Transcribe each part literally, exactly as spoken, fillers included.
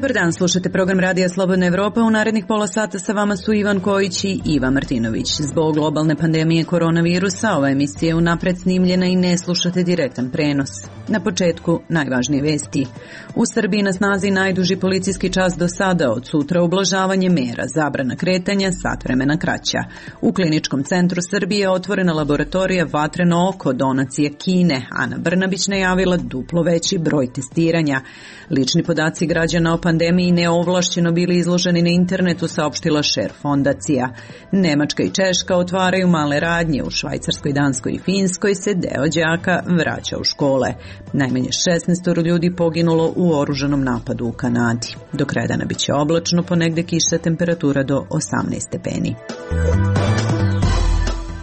Dobar dan, slušate program Radija Slobodna Evropa. U narednih pola sata sa vama su Ivan Kojić i Iva Martinović. Zbog globalne pandemije koronavirusa ova emisija je unapred snimljena i ne slušate direktan prenos. Na početku najvažnije vesti. U Srbiji na snazi najduži policijski čas do sada, od sutra ublažavanje mera, zabrana kretanja, sat vremena kraća. U Kliničkom centru Srbije otvorena laboratorija Vatreno oko, donacije Kine. Ana Brnabić najavila duplo veći broj testiranja. Lični podaci građana o pandemiji neovlašćeno bili izloženi na internetu, saopštila Šer fondacija. Nemačka i Češka otvaraju male radnje. U Švajcarskoj, Danskoj i Finskoj se deo đaka vraća u škole. Najmanje šesnaest ljudi poginulo u oružanom napadu u Kanadi. Do kraja dana biće oblačno, ponegde kiša, temperatura do osamnaest stepeni.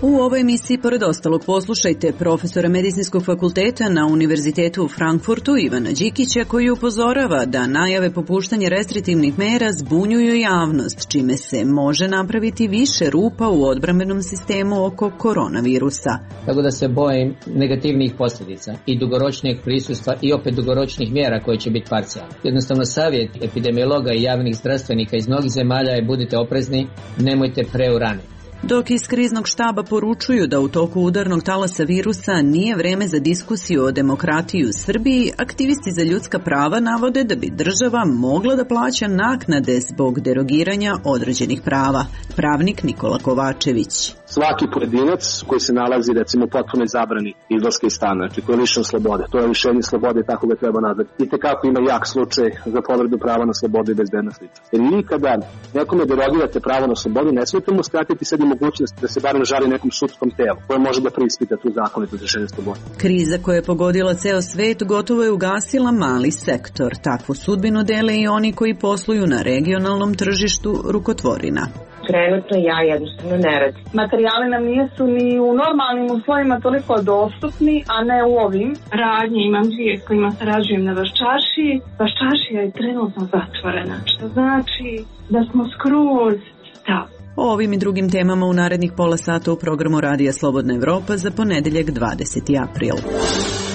U ovoj emisiji, pored ostalog, poslušajte profesora Medicinskog fakulteta na Univerzitetu u Frankfurtu Ivana Đikića, koji upozorava da najave popuštanja restriktivnih mera zbunjuju javnost, čime se može napraviti više rupa u odbrambenom sistemu oko koronavirusa. Tako da se bojim negativnih posljedica i dugoročnijeg prisustva i opet dugoročnih mjera koje će biti parcijalne. Jednostavno savjet epidemiologa i javnih zdravstvenika iz mnogih zemalja je budite oprezni, nemojte preuraniti. Dok iz kriznog štaba poručuju da u toku udarnog talasa virusa nije vreme za diskusiju o demokratiji u Srbiji, aktivisti za ljudska prava navode da bi država mogla da plaća naknade zbog derogiranja određenih prava. Pravnik Nikola Kovačević. Svaki pojedinac koji se nalazi, recimo, u potpunoj zabrani izlaska iz stana, znači koji je lišen slobode, to je lišenje slobode i tako ga treba nazvati. I tekako ima jak slučaj za povredu prava na slobodu i bezbednost ličnosti. Jer nikada nekome derogirate pravo na slobodu, ne smijete mu skratiti sad i mogućnost da se barem žali nekom sudskom telu koje može da preispita tu zakonitost lišenja slobode. Kriza koja je pogodila ceo svet gotovo je ugasila mali sektor. Takvu sudbinu dele i oni koji posluju na regionalnom tržištu rukotvorina. Trenutno ja jednostavno ne radim. Materijali nam nisu ni u normalnim uslovima toliko dostupni, a ne u ovim. Radnje imam dvije s kojima sarađujem na Vaščaršiji. Vaščaršija je trenutno zatvorena, što znači da smo skroz stav. O ovim i drugim temama u narednih pola sata u programu Radija Slobodna Evropa za ponedeljak dvadeseti april.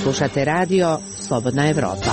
Slušate radio Slobodna Evropa.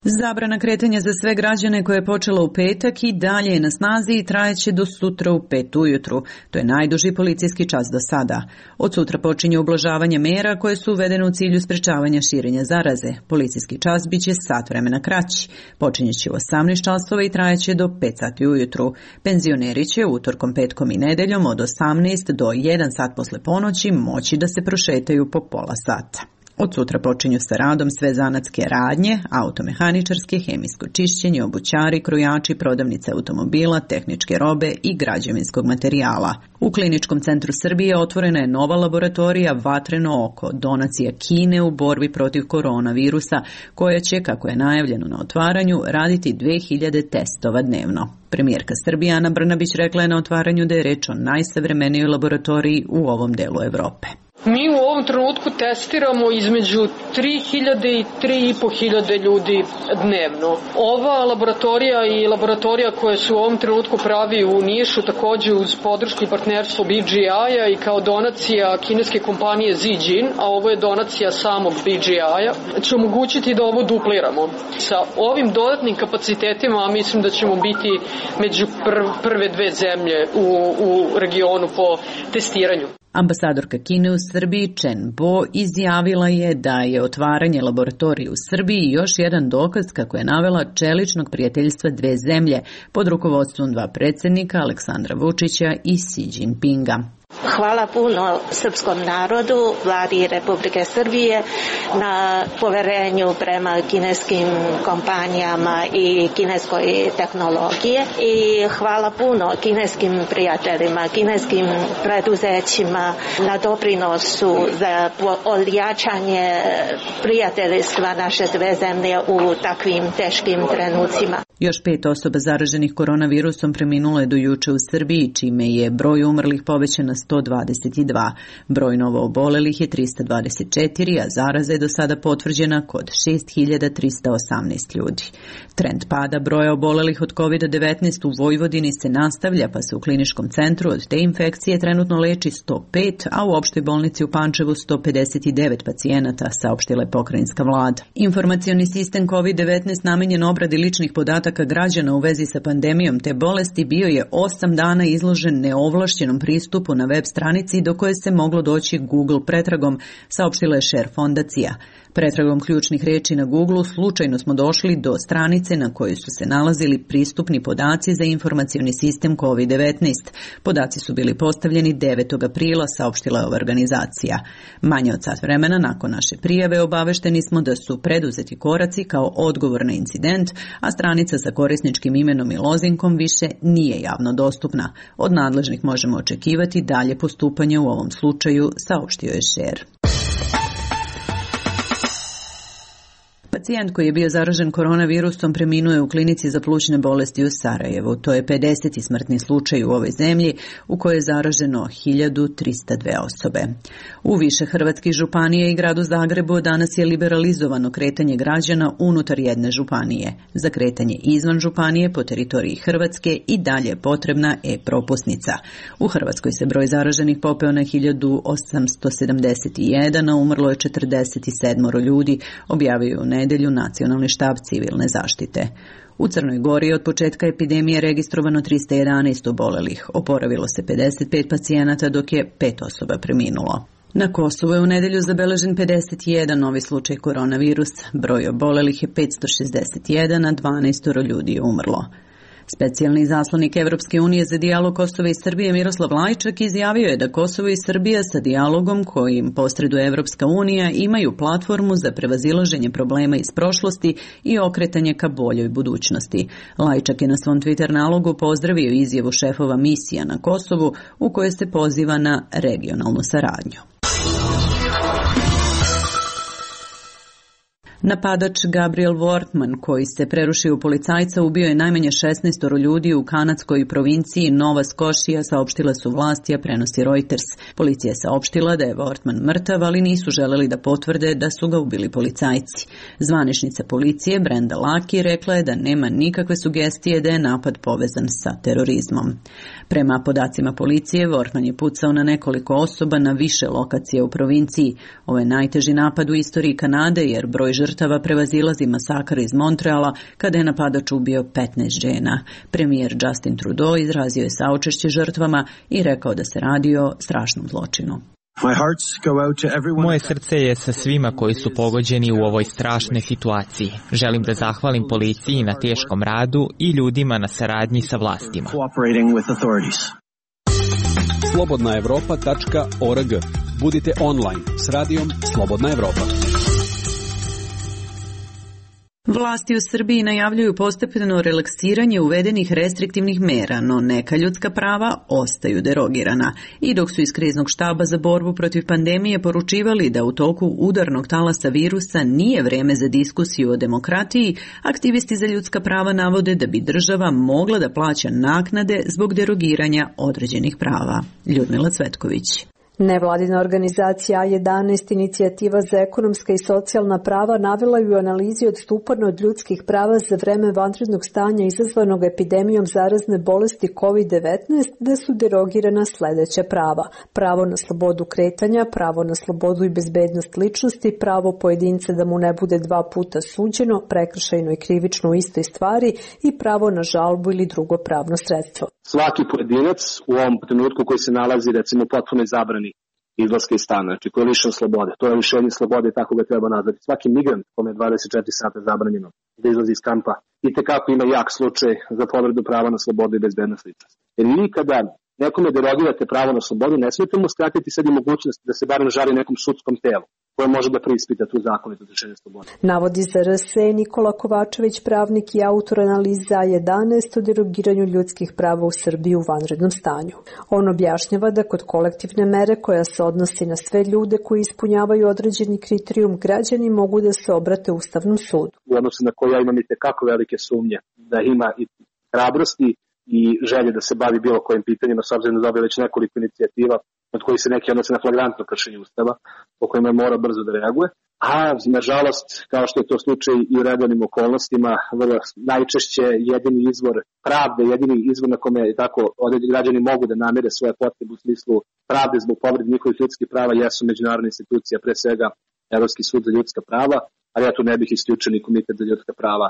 Zabrana kretanja za sve građane koja je počela u petak i dalje je na snazi i trajeće do sutra u pet ujutru. To je najduži policijski čas do sada. Od sutra počinje ublažavanje mera koje su uvedene u cilju sprečavanja širenja zaraze. Policijski čas biće sat vremena kraći. Počinjeće u osamnaest časova i trajeće do pet sati ujutru. Penzioneri će utorkom, petkom i nedeljom od osamnaest do jedan sat posle ponoći moći da se prošetaju po pola sata. Od sutra počinju sa radom sve zanatske radnje, automehaničarske, hemijsko čišćenje, obućari, krojači, prodavnice automobila, tehničke robe i građevinskog materijala. U Kliničkom centru Srbije otvorena je nova laboratorija Vatreno oko, donacija Kine u borbi protiv koronavirusa, koja će, kako je najavljeno na otvaranju, raditi dve hiljade testova dnevno. Premijerka Srbije Ana Brnabić rekla je na otvaranju da je reč o najsavremenijoj laboratoriji u ovom delu Evrope. Mi u ovom trenutku testiramo između tri hiljade i tri i po hiljade ljudi dnevno. Ova laboratorija i laboratorija koje se u ovom trenutku pravi u Nišu, takođe uz podršku i partnerstvo B G I-a i kao donacija kineske kompanije Zijin, a ovo je donacija samog B G I-a, će omogućiti da ovo dupliramo. Sa ovim dodatnim kapacitetima mislim da ćemo biti među prve dve zemlje u, u regionu po testiranju. Ambasadorka Kine u Srbiji Chen Bo izjavila je da je otvaranje laboratorije u Srbiji još jedan dokaz, kako je navela, čeličnog prijateljstva dve zemlje pod rukovodstvom dva predsjednika Aleksandra Vučića i Xi Jinpinga. Hvala puno srpskom narodu, vladi Republike Srbije na poverenju prema kineskim kompanijama i kineskoj tehnologije i hvala puno kineskim prijateljima, kineskim preduzećima na doprinosu za odjačanje prijateljstva naše dve zemlje u takvim teškim trenucima. Još pet osoba zaraženih koronavirusom preminulo je do juče u Srbiji, čime je broj umrlih povećan na sto dvadeset dva. Broj novo obolelih je trista dvadeset četiri, a zaraza je do sada potvrđena kod šest hiljada trista osamnaest ljudi. Trend pada broja obolelih od kovid devetnaest u Vojvodini se nastavlja, pa se u kliničkom centru od te infekcije trenutno leči sto pet, a u opštoj bolnici u Pančevu sto pedeset devet pacijenata, saopštila je pokrajinska vlada. Informacioni sistem kovid devetnaest namenjen obradi ličnih podataka građana u vezi sa pandemijom te bolesti bio je osam dana izložen neovlašćenom pristupu na web stranici do koje se moglo doći Google pretragom, saopštila je Share fondacija. Pretragom ključnih reči na Google slučajno smo došli do stranice na kojoj su se nalazili pristupni podaci za informacioni sistem kovid devetnaest. Podaci su bili postavljeni devetog aprila, saopštila je ova organizacija. Manje od sat vremena nakon naše prijave obavešteni smo da su preduzeti koraci kao odgovor na incident, a stranica sa korisničkim imenom i lozinkom više nije javno dostupna. Od nadležnih možemo očekivati dalje postupanje u ovom slučaju, saopštio je Share. Pacijent koji je bio zaražen koronavirusom preminuo je u klinici za plućne bolesti u Sarajevu. To je pedeseti smrtni slučaj u ovoj zemlji u kojoj je zaraženo hiljadu trista dve osobe. U više hrvatskih županija i gradu Zagrebu danas je liberalizovano kretanje građana unutar jedne županije. Za kretanje izvan županije po teritoriji Hrvatske i dalje je potrebna e-propusnica. U Hrvatskoj se broj zaraženih popeo na hiljadu osamsto sedamdeset jedan, a umrlo je četrdeset sedam ljudi, objavio u nedelju Nacionalni štab civilne zaštite. U Crnoj Gori od početka epidemije registrovano trista jedanaest obolelih, oporavilo se pedeset pet pacijenata dok je pet osoba preminulo. Na Kosovu je u nedelju zabeležen pedeset jedan novi slučaj koronavirusa, broj obolelih je petsto šezdeset jedan, a dvanaest ljudi je umrlo. Specijalni zaslanik Evropske unije za dijalog Kosova i Srbije Miroslav Lajčak izjavio je da Kosovo i Srbija sa dijalogom kojim posreduje Evropska unija imaju platformu za prevazilaženje problema iz prošlosti i okretanje ka boljoj budućnosti. Lajčak je na svom Twitter nalogu pozdravio izjavu šefova misija na Kosovu u kojoj se poziva na regionalnu saradnju. Napadač Gabriel Wortman, koji se prerušio u policajca, ubio je najmanje šesnaest ljudi u kanadskoj provinciji Nova Scotia, saopštile su vlasti, a prenosi Reuters. Policija je saopštila da je Wortman mrtav, ali nisu želeli da potvrde da su ga ubili policajci. Zvaničnica policije Brenda Laki rekla je da nema nikakve sugestije da je napad povezan sa terorizmom. Prema podacima policije, Wortman je pucao na nekoliko osoba na više lokacije u provinciji. Ovo je najteži napad u istoriji Kanade, jer broj žrtava prevazilazi masakr iz Montreala kada je napadač ubio petnaest žena. Premijer Justin Trudeau izrazio je saučešće žrtvama i rekao da se radi o strašnom zločinu. Moje srce je sa svima koji su pogođeni u ovoj strašnoj situaciji. Želim da zahvalim policiji na teškom radu i ljudima na saradnji sa vlastima. slobodna evropa tačka org. Budite online s radijom Slobodna Evropa. Vlasti u Srbiji najavljuju postepeno relaksiranje uvedenih restriktivnih mera, no neka ljudska prava ostaju derogirana. I dok su iz kriznog štaba za borbu protiv pandemije poručivali da u toku udarnog talasa virusa nije vreme za diskusiju o demokratiji, aktivisti za ljudska prava navode da bi država mogla da plaća naknade zbog derogiranja određenih prava. Ljudmila Cvetković. Nevladina organizacija A jedanaest Inicijativa za ekonomska i socijalna prava navela je u analizi odstupanja od ljudskih prava za vreme vanrednog stanja izazvanog epidemijom zarazne bolesti kovid devetnaest da su derogirana sledeća prava: pravo na slobodu kretanja, pravo na slobodu i bezbednost ličnosti, pravo pojedinca da mu ne bude dva puta suđeno, prekršajno i krivično u istoj stvari i pravo na žalbu ili drugo pravno sredstvo. Svaki pojedinac u ovom trenutku koji se nalazi recimo potpuno zabrani izlaska iz stana, znači koji je lišen slobode, to je lišenje slobode i tako ga treba nazvati. Svaki migrant kome je dvadeset četiri sata zabranjeno da izlazi iz kampa i tekako ima jak slučaj za povredu prava na slobodu i bezbednost ličnosti. Jer nikada nekome derogirate pravo na slobodu, ne smijete mu skratiti sad i mogućnost da se barem žali nekom sudskom telu koje može da preispita tu zakonito lišenje slobode. Navodi za R S E Nikola Kovačević, pravnik i autor analiza A jedanaest o derogiranju ljudskih prava u Srbiji u vanrednom stanju. On objašnjava da kod kolektivne mere koja se odnosi na sve ljude koji ispunjavaju određeni kriterijum, građani mogu da se obrate Ustavnom sudu. U odnosu na koje ja imam i tekako velike sumnje da ima i hrabrosti i želje da se bavi bilo kojim pitanjima, s obzirom da dobije već nekoliko inicijativa od kojih se neki odnose na flagrantno kršenje Ustava, po kojima mora brzo da reaguje. A, nažalost, kao što je to slučaj i u redovnim okolnostima, vrlo najčešće jedini izvor pravde, jedini izvor na kome je tako određeni građani mogu da namire svoje potrebe u smislu pravde zbog povrede njihovih ljudskih prava jesu međunarodne institucije, pre svega Evropski sud za ljudska prava, ali ja tu ne bih isključio ni Komitet za ljudska prava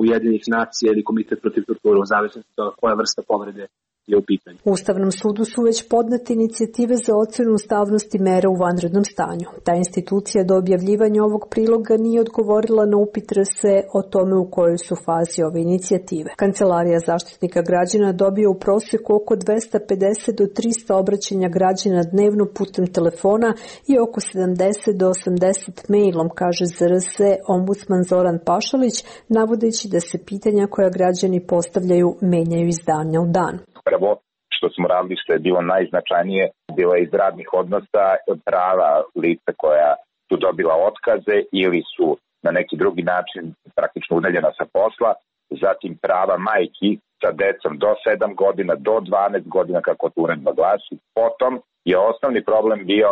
Ujedinjenih nacija ili Komitet protiv torture, u zavisnosti od toga koja vrsta povrede je u pitanju. U Ustavnom sudu su već podnete inicijative za ocenu ustavnosti mera u vanrednom stanju. Ta institucija do objavljivanja ovog priloga nije odgovorila na upit R S E o tome u kojoj su fazi ove inicijative. Kancelarija Zaštitnika građana dobije u prosjeku oko dvesta pedeset do trista obraćanja građana dnevno putem telefona i oko sedamdeset do osamdeset mailom, kaže za R S E ombudsman Zoran Pašalić, navodeći da se pitanja koja građani postavljaju menjaju iz dana u dan. Prvo što smo radili, što je bilo najznačajnije, bilo je iz radnih odnosa prava lica koja su dobila otkaze ili su na neki drugi način praktično udaljena sa posla, zatim prava majki sa decom do sedam godina, do dvanaest godina, kako to uredba glasi. Potom je osnovni problem bio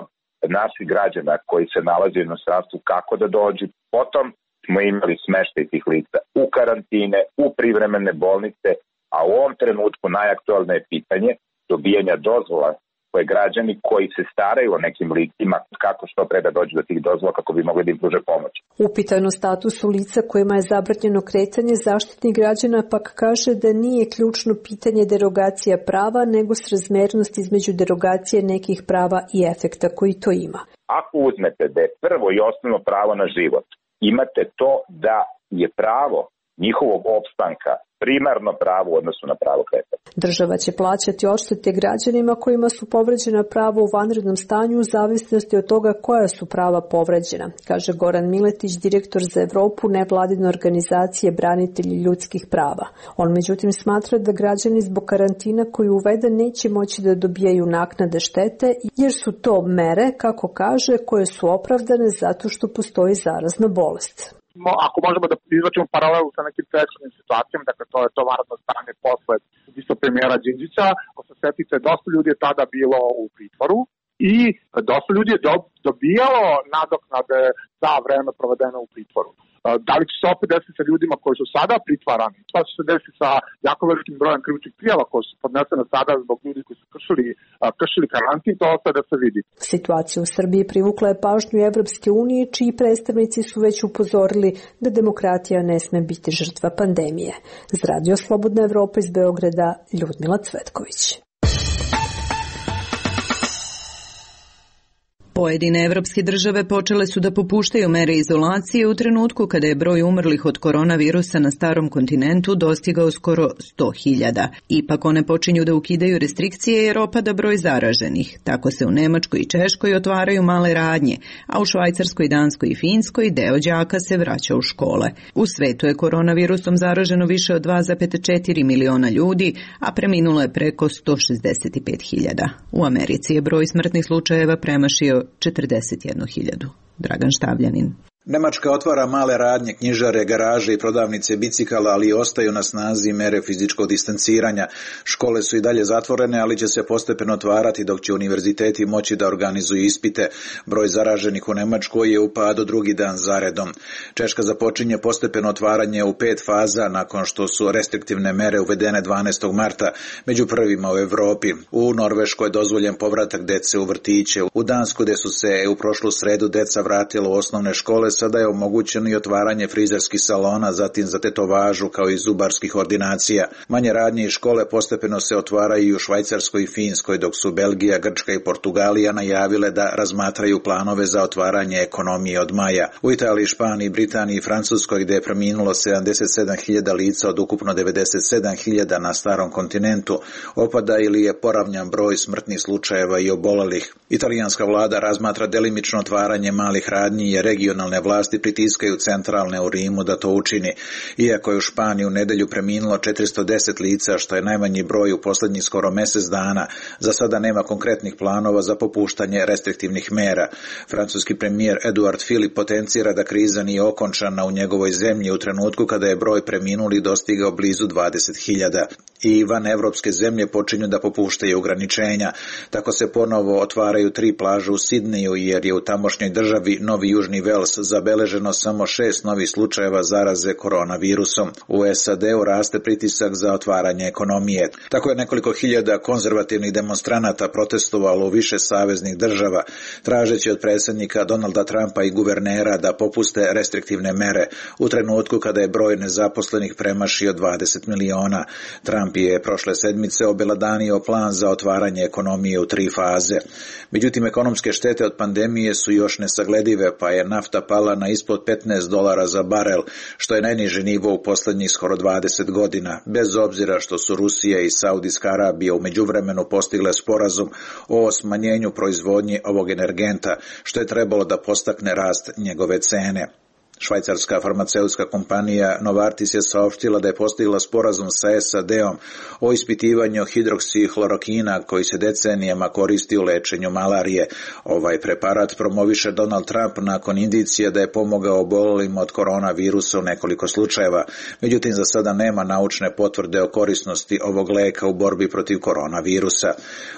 naših građana koji se nalaze u inostranstvu kako da dođu. Potom smo imali smeštaj tih lica u karantine, u privremene bolnice, a u ovom trenutku najaktualnije pitanje dobijanja dozvola koje građani koji se staraju o nekim licima, kako što pre da dođu do tih dozvola kako bi mogli da im pruže pomoć. Upitano statusu lica kojima je zabranjeno kretanje, Zaštitnik građana pak kaže da nije ključno pitanje derogacija prava, nego srazmernost između derogacije nekih prava i efekta koji to ima. Ako uzmete da je prvo i osnovno pravo na život, imate to da je pravo njihovog opstanka primarno pravo u odnosu na pravo kretanja. Država će plaćati odštete građanima kojima su povređena prava u vanrednom stanju u zavisnosti od toga koja su prava povređena, kaže Goran Miletić, direktor za Evropu nevladine organizacije Branitelji ljudskih prava. On međutim smatra da građani zbog karantina koji uvede neće moći da dobijaju naknade štete, jer su to mere, kako kaže, koje su opravdane zato što postoji zarazna bolest. Ako možemo da izvačimo paralelu sa nekim prethodnim situacijama, dakle to je to vanredno stanje posle ubistva premijera Đinđića, ako se setite, dosta ljudi je tada bilo u pritvoru i dosta ljudi je dobijalo nadoknade za vreme provedeno u pritvoru. Da li će se opet desiti sa ljudima koji su sada pritvarani? Šta će se desiti sa jako velikim brojem krivičnih prijava koji su podnesene sada zbog ljudi koji su kršili, kršili karantin? To ostaje da se vidi. Situacija u Srbiji privukla je pažnju Evropske unije, čiji predstavnici su već upozorili da demokratija ne sme biti žrtva pandemije. Za Radio Slobodna Evropa iz Beograda, Ljudmila Cvetković. Pojedine evropske države počele su da popuštaju mere izolacije u trenutku kada je broj umrlih od koronavirusa na starom kontinentu dostigao skoro sto hiljada. Ipak one počinju da ukidaju restrikcije jer opada broj zaraženih. Tako se u Nemačkoj i Češkoj otvaraju male radnje, a u Švajcarskoj, Danskoj i Finskoj deo đaka se vraća u škole. U svetu je koronavirusom zaraženo više od dva zarez četiri miliona ljudi, a preminulo je preko sto šezdeset pet hiljada. U Americi je broj smrtnih slučajeva premašio četrdeset jednu hiljadu. Dragan Štavljanin. Nemačka otvara male radnje, knjižare, garaže i prodavnice bicikala, ali ostaju na snazi mere fizičkog distanciranja. Škole su i dalje zatvorene, ali će se postepeno otvarati dok će univerziteti moći da organizuju ispite. Broj zaraženih u Nemačkoj je u padu drugi dan zaredom. Češka započinje postepeno otvaranje u pet faza nakon što su restriktivne mere uvedene dvanaestog marta, među prvima u Evropi. U Norveškoj je dozvoljen povratak dece u vrtiće. U Dansku, gde su se u prošlu sredu deca vratila u osnovne škole, sada je omogućeno i otvaranje frizerskih salona, zatim za tetovažu kao i zubarskih ordinacija. Manje radnje i škole postepeno se otvaraju i u Švajcarskoj i Finskoj, dok su Belgija, Grčka i Portugalija najavile da razmatraju planove za otvaranje ekonomije od maja. U Italiji, Španiji, Britaniji i Francuskoj, gde je preminulo sedamdeset sedam hiljada lica od ukupno devedeset sedam hiljada na starom kontinentu, opada ili je poravnjan broj smrtnih slučajeva i obolelih. Italijanska vlada razmatra delimično otvaranje malih radnji i regionalne lokalne vlasti pritiskaju centralne u Rimu da to učini. Iako je u Španiji u nedelju preminulo četiristo deset lica, što je najmanji broj u posljednjih skoro mjesec dana, za sada nema konkretnih planova za popuštanje restriktivnih mera. Francuski premijer Eduard Philippe potencira da kriza nije okončana u njegovoj zemlji u trenutku kada je broj preminulih dostigao blizu dvadeset hiljada. I van evropske zemlje počinju da popuštaju ograničenja. Tako se ponovo otvaraju tri plaže u Sidneju, jer je u tamošnjoj državi Novi Južni Vels zabeleženo samo šest novih slučajeva zaraze koronavirusom. U S A D-u raste pritisak za otvaranje ekonomije. Tako je nekoliko hiljada konzervativnih demonstranata protestovalo u više saveznih država, tražeći od predsjednika Donalda Trumpa i guvernera da popuste restriktivne mere u trenutku kada je broj nezaposlenih premašio dvadeset miliona. Trump je prošle sedmice obelodanio plan za otvaranje ekonomije u tri faze. Međutim, ekonomske štete od pandemije su još nesagledive, pa je nafta pala na ispod petnaest dolara za barel, što je najniži nivo u posljednjih skoro dvadeset godina, bez obzira što su Rusija i Saudijska Arabija u međuvremenu postigle sporazum o smanjenju proizvodnje ovog energenta, što je trebalo da postakne rast njegove cene. Švajcarska farmaceutska kompanija Novartis je saopštila da je postigla sporazum sa S A D-om o ispitivanju hidroksihlorokina koji se decenijama koristi u lečenju malarije. Ovaj preparat promoviše Donald Trump nakon indicije da je pomogao obolelima od koronavirusa u nekoliko slučajeva. Međutim, za sada nema naučne potvrde o korisnosti ovog leka u borbi protiv koronavirusa.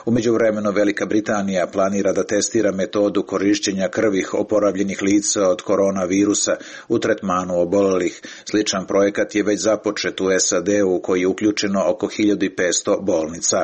U međuvremenu Velika Britanija planira da testira metodu korišćenja krvih oporavljenih lica od koronavirusa u tretmanu obolelih. Sličan projekat je već započet u S A D-u, koji je uključeno oko hiljadu petsto bolnica.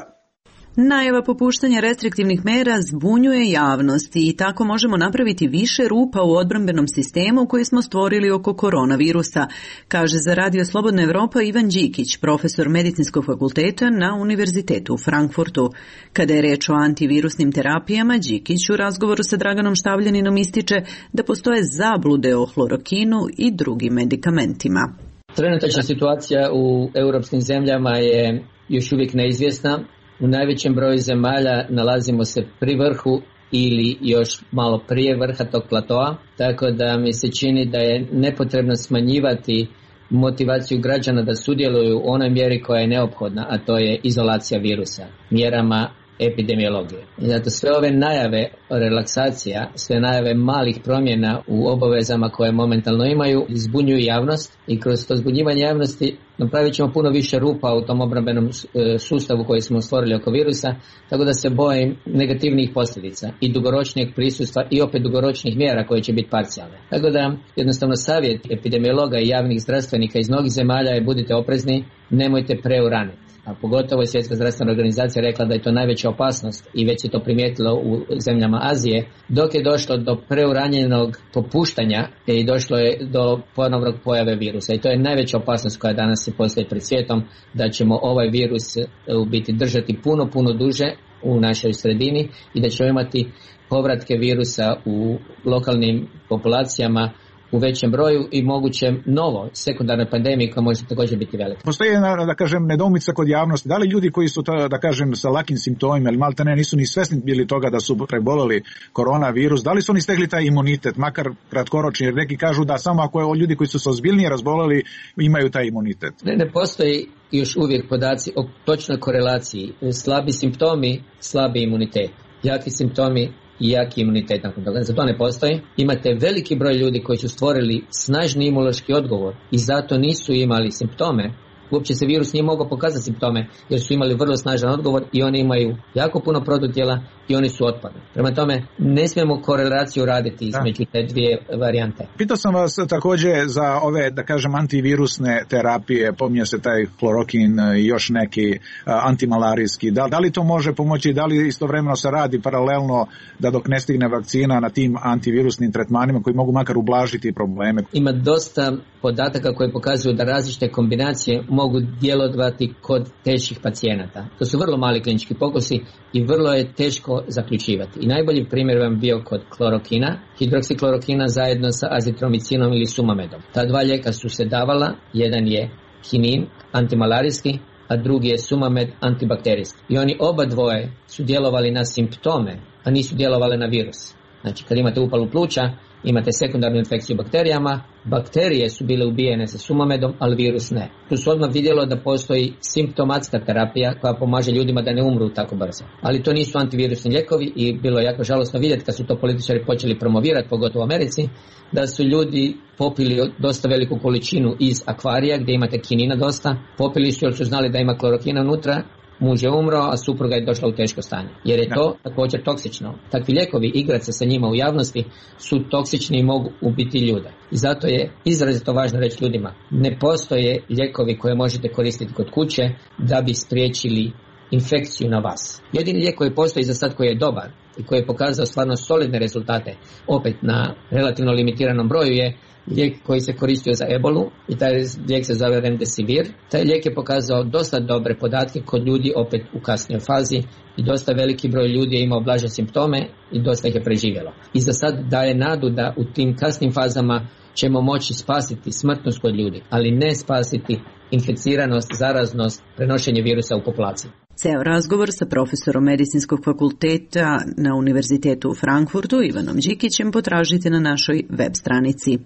Najava popuštanja restriktivnih mera zbunjuje javnost i tako možemo napraviti više rupa u odbrambenom sistemu koji smo stvorili oko koronavirusa, kaže za Radio Slobodna Evropa Ivan Đikić, profesor medicinskog fakulteta na Univerzitetu u Frankfurtu. Kada je reč o antivirusnim terapijama, Đikić u razgovoru sa Draganom Štavljaninom ističe da postoje zablude o hlorokinu i drugim medikamentima. Trenutačna situacija u europskim zemljama je još uvijek neizvjesna. U najvećem broju zemalja nalazimo se pri vrhu ili još malo prije vrha tog platoa, tako da mi se čini da je nepotrebno smanjivati motivaciju građana da sudjeluju u onoj mjeri koja je neophodna, a to je izolacija virusa, mjerama epidemiologije. I zato sve ove najave relaksacija, sve najave malih promjena u obavezama koje momentalno imaju, zbunjuju javnost i kroz to zbunjivanje javnosti napravit ćemo puno više rupa u tom obrambenom sustavu koji smo stvorili oko virusa, tako da se bojim negativnih posljedica i dugoročnijeg prisustva i opet dugoročnih mjera koje će biti parcijalne. Tako da jednostavno savjet epidemiologa i javnih zdravstvenika iz mnogih zemalja je budite oprezni, nemojte preuraniti. A pogotovo je Svjetska zdravstvena organizacija rekla da je to najveća opasnost i već se to primijetilo u zemljama Azije, dok je došlo do preuranjenog popuštanja i došlo je do ponovnog pojave virusa. I to je najveća opasnost koja danas se postoji pred svijetom, da ćemo ovaj virus u biti držati puno, puno duže u našoj sredini i da ćemo imati povratke virusa u lokalnim populacijama u većem broju i moguće novo sekundarnoj pandemiji koja može također biti velika. Postoji jedna, da kažem, nedoumica kod javnosti. Da li ljudi koji su, da kažem, sa lakim simptomima ili malte ne nisu ni svesni bili toga da su preboleli koronavirus, da li su oni stekli taj imunitet, makar kratkoročni, jer neki kažu da samo ako ljudi koji su se ozbiljnije razboleli imaju taj imunitet? Ne, ne postoji još uvijek podaci o točnoj korelaciji. Slabi simptomi, slabi imunitet. Jaki simptomi, i jaki imunitet nakon toga. Za to ne postoji. Imate veliki broj ljudi koji su stvorili snažni imunološki odgovor i zato nisu imali simptome. Uopće se virus nije mogao pokazati simptome jer su imali vrlo snažan odgovor i oni imaju jako puno protutijela i oni su otpadni. Prema tome, ne smijemo korelaciju raditi između te dvije varijante. Pitao sam vas također za ove, da kažem, antivirusne terapije, pominje se taj hlorokin i još neki antimalarijski. Da, da li to može pomoći, da li istovremeno se radi paralelno da dok ne stigne vakcina na tim antivirusnim tretmanima koji mogu makar ublažiti probleme? Ima dosta podataka koji pokazuju da različite kombinacije mogu djelovati kod teških pacijenata. To su vrlo mali klinički pokusi i vrlo je teško zaključivati. I najbolji primjer vam bio kod klorokina, hidroksiklorokina zajedno sa azitromicinom ili sumamedom. Ta dva lijeka su se davala, jedan je kinin, antimalarijski, a drugi je sumamed, antibakterijski. I oni oba dvoje su djelovali na simptome, a nisu djelovali na virus. Znači kad imate upalu pluća, imate sekundarnu infekciju bakterijama, bakterije su bile ubijene sa sumamedom, ali virus ne. Tu su odmah vidjelo da postoji simptomatska terapija koja pomaže ljudima da ne umru tako brzo. Ali to nisu antivirusni lijekovi i bilo je jako žalosno vidjeti kad su to političari počeli promovirati, pogotovo u Americi, da su ljudi popili dosta veliku količinu iz akvarija gdje imate kinina dosta, popili su jer su znali da ima klorokina unutra, muž je umro, a supruga je došla u teško stanje. Jer je to također toksično. Takvi lijekovi, igrati se sa njima u javnosti, su toksični i mogu ubiti ljude. I zato je izrazito važno reći ljudima, ne postoje lijekovi koje možete koristiti kod kuće da bi spriječili infekciju na vas. Jedini lijek koji postoji za sad koji je dobar i koji je pokazao stvarno solidne rezultate, opet na relativno limitiranom broju, je lijek koji se koristio za ebolu i taj lijek se zove Remdesivir. Taj lijek je pokazao dosta dobre podatke kod ljudi opet u kasnijoj fazi i dosta veliki broj ljudi je imao blaže simptome i dosta ih je preživjelo. I za sad daje nadu da u tim kasnim fazama ćemo moći spasiti smrtnost kod ljudi, ali ne spasiti inficiranost, zaraznost, prenošenje virusa u populaciji. Ceo razgovor sa profesorom Medicinskog fakulteta na Univerzitetu u Frankfurtu Ivanom Đikićem potražite na našoj web stranici.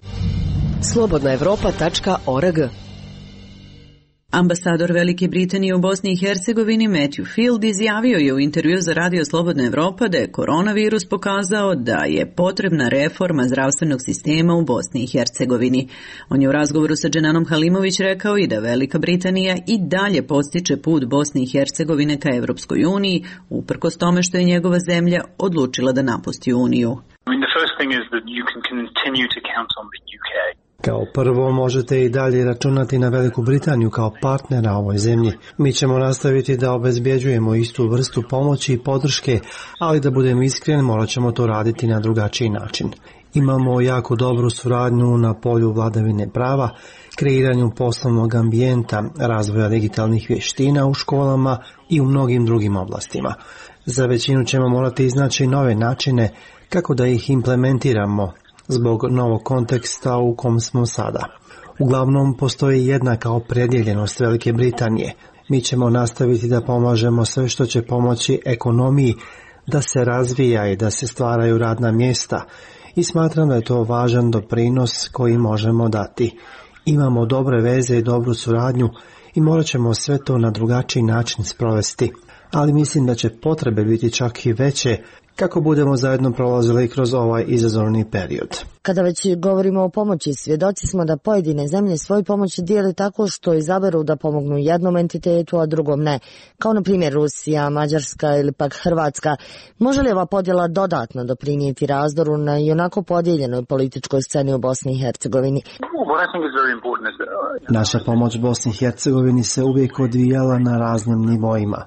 slobodna evropa tačka org. Ambasador Velike Britanije u Bosni i Hercegovini Matthew Field izjavio je u intervju za Radio Slobodna Evropa da je koronavirus pokazao da je potrebna reforma zdravstvenog sistema u Bosni i Hercegovini. On je u razgovoru sa Dženanom Halimović rekao i da Velika Britanija i dalje podstiče put Bosne i Hercegovine ka Evropskoj uniji, uprkos tome što je njegova zemlja odlučila da napusti Uniju. I mean, the first thing is that you can continue to count on the U K. Kao prvo možete i dalje računati na Veliku Britaniju kao partnera ovoj zemlji. Mi ćemo nastaviti da obezbjeđujemo istu vrstu pomoći i podrške, ali da budemo iskreni morat ćemo to raditi na drugačiji način. Imamo jako dobru suradnju na polju vladavine prava, kreiranju poslovnog ambijenta, razvoja digitalnih vještina u školama i u mnogim drugim oblastima. Za većinu ćemo morati iznaći nove načine kako da ih implementiramo zbog novog konteksta u kom smo sada. Uglavnom postoji jednaka opredjeljenost Velike Britanije. Mi ćemo nastaviti da pomažemo sve što će pomoći ekonomiji da se razvija i da se stvaraju radna mjesta i smatram da je to važan doprinos koji možemo dati. Imamo dobre veze i dobru suradnju i morat ćemo sve to na drugačiji način sprovesti, ali mislim da će potrebe biti čak i veće kako budemo zajedno prolazili kroz ovaj izazovni period. Kada već govorimo o pomoći, svjedoci smo da pojedine zemlje svoju pomoć dijele tako što izaberu da pomognu jednom entitetu, a drugom ne, kao na primjer Rusija, Mađarska ili pak Hrvatska. Može li ova podjela dodatno doprinijeti razdoru na i onako podijeljenoj političkoj sceni u Bosni i Hercegovini? Naša pomoć Bosni i Hercegovini se uvijek odvijala na raznim nivoima.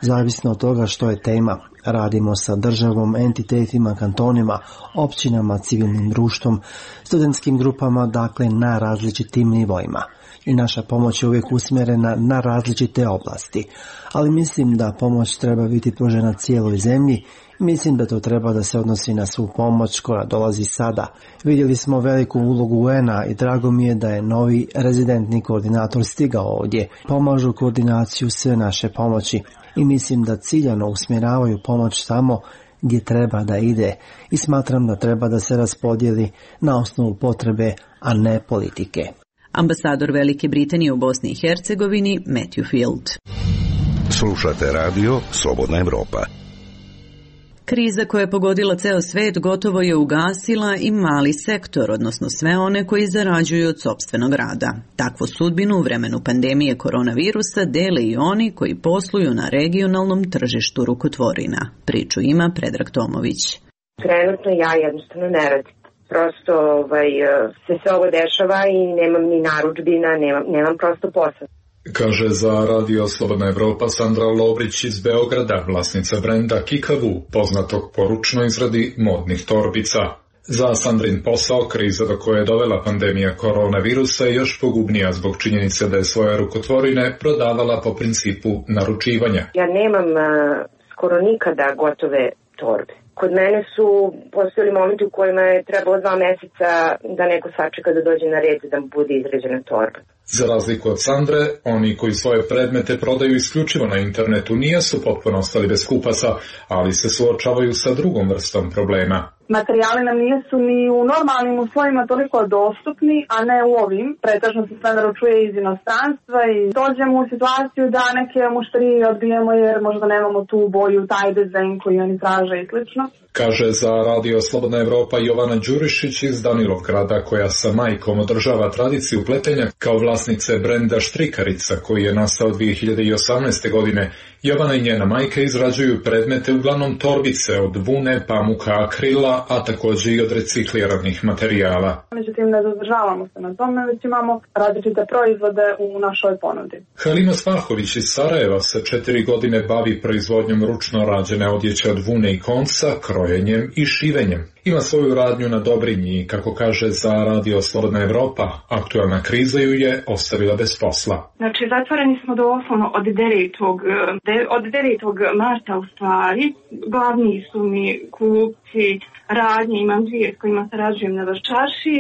Zavisno od toga što je tema, radimo sa državom, entitetima, kantonima, općinama, civilnim društvom, studentskim grupama, dakle na različitim nivoima. I naša pomoć je uvijek usmjerena na različite oblasti. Ali mislim da pomoć treba biti pružena cijeloj zemlji. Mislim da to treba da se odnosi na svu pomoć koja dolazi sada. Vidjeli smo veliku ulogu U N-a i drago mi je da je novi rezidentni koordinator stigao ovdje. Pomažu koordinaciju sve naše pomoći i mislim da ciljano usmjeravaju pomoć tamo gdje treba da ide i smatram da treba da se raspodijeli na osnovu potrebe, a ne politike. Ambasador Velike Britanije u Bosni i Hercegovini Matthew Field. Slušate radio Slobodna Evropa. Kriza koja je pogodila ceo svet gotovo je ugasila i mali sektor, odnosno sve one koji zarađuju od sopstvenog rada. Takvu sudbinu u vremenu pandemije koronavirusa dele i oni koji posluju na regionalnom tržištu rukotvorina. Priču ima Predrag Tomović. Trenutno ja jednostavno ne radim. Prosto ovaj, se sve ovo dešava i nemam ni narudžbina, nemam, nemam prosto posao. Kaže za Radio Slobodna Evropa Sandra Lovrić iz Beograda, vlasnica brenda Kikavu, poznatog po ručnoj izradi modnih torbica. Za Sandrin posao kriza do koje je dovela pandemija koronavirusa je još pogubnija zbog činjenice da je svoje rukotvorine prodavala po principu naručivanja. Ja nemam uh, skoro nikada gotove torbe. Kod mene su postojali momenti u kojima je trebalo dva mjeseca da neko sačeka da dođe na red da mu bude izrađena torba. Za razliku od Sandre, oni koji svoje predmete prodaju isključivo na internetu nisu potpuno ostali bez kupaca, ali se suočavaju sa drugom vrstom problema. Materijali nam nisu ni u normalnim uslovima toliko dostupni, a ne u ovim. Pretežno se sve naručuje iz inostranstva i dođemo u situaciju da neke mušterije odbijemo jer možda nemamo tu boju, taj dizajn koji oni traže i slično. Kaže za Radio Slobodna Evropa Jovana Đurišić iz Danilovgrada, koja sa majkom održava tradiciju pletenja kao vlasnice brenda Štrikarica, koji je nastao dvije hiljade osamnaeste. godine. Jovana i njena majka izrađuju predmete, uglavnom torbice od vune, pamuka, akrila, a također i od recikliranih materijala. Međutim, ne zadržavamo se na tome, već imamo različite proizvode u našoj ponudi. Halima Svahović iz Sarajeva se četiri godine bavi proizvodnjom ručno rađene odjeće od vune i konca, krojenjem i šivenjem. Ima svoju radnju na Dobrinji i, kako kaže za Radio Slobodna Evropa, aktualna kriza ju je ostavila bez posla. Znači, zatvoreni smo doslovno od devetog od devetog marta u stvari. Glavni su mi kupci radnje, imam dvije s kojima sarađujem na Vaščarši.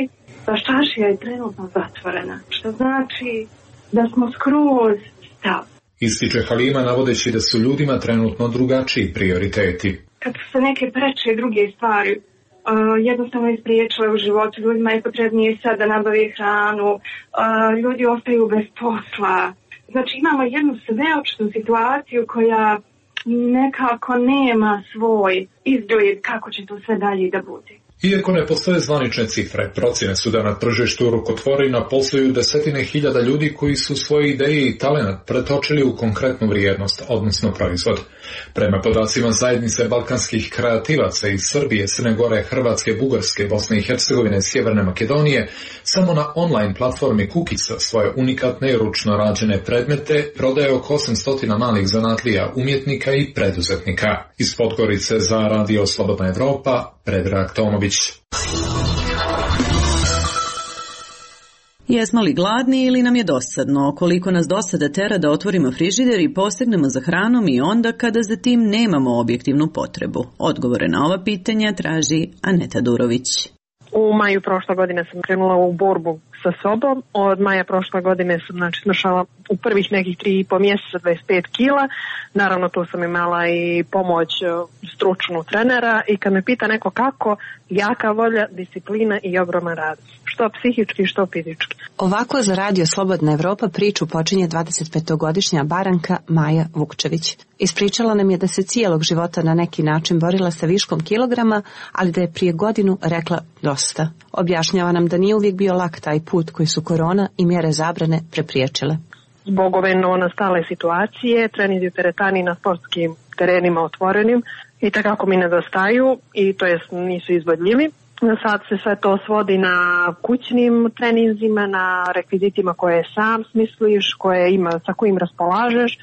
Vaščaršija je trenutno zatvorena, što znači da smo skroz stav. Ističe Halima navodeći da su ljudima trenutno drugačiji prioriteti. Kad su se neke preče druge stvari Uh, jednostavno ispriječile u životu, ljudima je potrebnije sad da nabave hranu, uh, ljudi ostaju bez posla. Znači imamo jednu sveočnu situaciju koja nekako nema svoj izgled kako će to sve dalje da bude. Iako ne postoje zvanične cifre, procjene su da na tržištu rukotvorina posluju desetine hiljada ljudi koji su svoje ideje i talenat pretočili u konkretnu vrijednost, odnosno proizvod. Prema podacima zajednice balkanskih kreativaca iz Srbije, Crne Gore, Hrvatske, Bugarske, Bosne i Hercegovine, Sjeverne Makedonije, samo na online platformi Kukica svoje unikatne ručno rađene predmete prodaje oko osamsto malih zanatlija, umjetnika i preduzetnika. Iz Podgorice za Radio Slobodna Evropa, Predrag Tomović. Jesmo li gladni ili nam je dosadno? Koliko nas dosada tera da otvorimo frižider i posegnemo za hranom i onda kada za tim nemamo objektivnu potrebu? Odgovore na ova pitanja traži Aneta Durović. U maju prošle godine sam krenula u borbu sa sobom. Od maja prošle godine sam znači, smršala u prvih nekih tri i po mjeseca dvadeset pet kila. Naravno tu sam imala i pomoć stručnu trenera i kad me pita neko kako, jaka volja, disciplina i ogroman rad. Što psihički, što fizički. Ovako za Radio Slobodna Evropa priču počinje dvadesetpetogodišnja Baranka Maja Vukčević. Ispričala nam je da se cijelog života na neki način borila sa viškom kilograma, ali da je prije godinu rekla dosta. Objašnjava nam da nije uvijek bio lak taj put koji su korona i mjere zabrane prepriječile. Zbog ove novonastale situacije, treninzi u teretani na sportskim terenima otvorenim i takako mi nedostaju i to jest nisu izvodljivi. Sad se sve to svodi na kućnim treninzima, na rekvizitima koje sam smisliš, koje ima, sa kojim raspolažeš.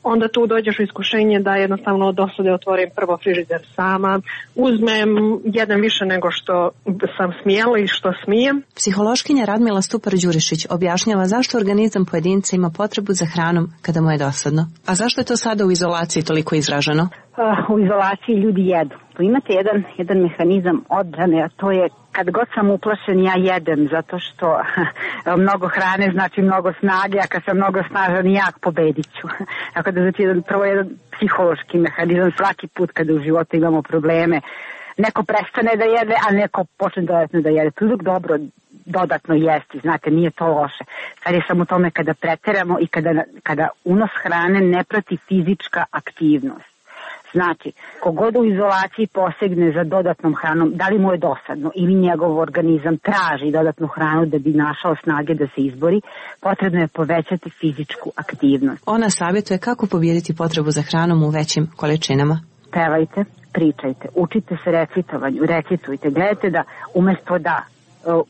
Onda tu dođeš u iskušenje da jednostavno od dosade otvorim prvo frižider sama, uzmem jedan više nego što sam smjela i što smijem. Psihološkinja Radmila Stupar-Đurišić objašnjava zašto organizam pojedinca ima potrebu za hranom kada mu je dosadno. A zašto je to sada u izolaciji toliko izraženo? Uh, u izolaciji ljudi jedu. Tu imate jedan, jedan mehanizam odbrane, a to je kad god sam uplašen ja jedem, zato što mnogo hrane znači mnogo snage, a kad sam mnogo snažan jak pobedit ću. Tako da znači jedan, prvo jedan psihološki mehanizam svaki put kada u životu imamo probleme. Neko prestane da jede, a neko počne dodatno da jede. To je uvijek dobro dodatno jesti, znate, nije to loše. Sad je samo u tome kada preteramo i kada, kada unos hrane ne prati fizička aktivnost. Znači, kogod u izolaciji posegne za dodatnom hranom, da li mu je dosadno ili njegov organizam traži dodatnu hranu da bi našao snage da se izbori, potrebno je povećati fizičku aktivnost. Ona savjetuje kako pobijediti potrebu za hranom u većim količinama. Pevajte, pričajte, učite se recitovanju, recitujte, gledajte da umjesto da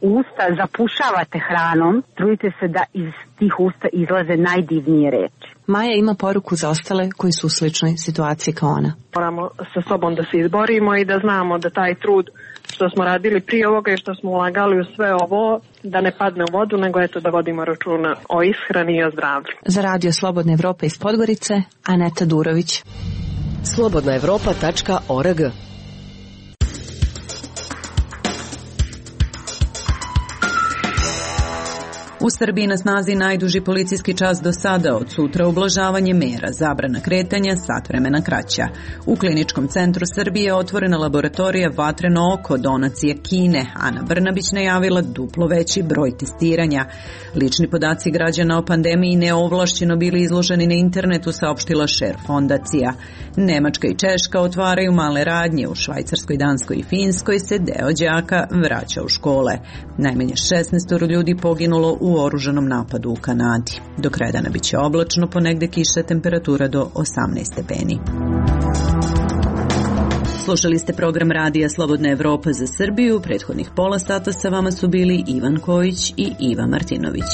usta zapušavate hranom, trudite se da iz tih usta izlaze najdivnije reči. Maja ima poruku za ostale koji su u sličnoj situaciji kao ona. Moramo sa sobom da se izborimo i da znamo da taj trud što smo radili prije ovoga i što smo ulagali u sve ovo, da ne padne u vodu, nego eto da vodimo računa o ishrani i o zdravlju. Za Radio Slobodna Evropa iz Podgorice, Aneta Durović. slobodna evropa tačka org. U Srbiji na snazi najduži policijski čas do sada, od sutra ublažavanje mera, zabrana kretanja, sat vremena kraća. U Kliničkom centru Srbije je otvorena laboratorija Vatreno oko, donacije Kine. Ana Brnabić najavila duplo veći broj testiranja. Lični podaci građana o pandemiji neovlašćeno bili izloženi na internetu, saopštila Šer fondacija. Nemačka i Češka otvaraju male radnje, u Švajcarskoj, Danskoj i Finskoj se deo đaka vraća u škole. Najmanje šesnaest ljudi poginulo u oružanom napadu u Kanadi. Do kraja dana biće oblačno, ponegde kiša, temperatura do osamnaest stepeni. Slušali ste program radija Slobodna Evropa za Srbiju. Prethodnih pola sata sa vama su bili Ivan Kojić i Iva Martinović.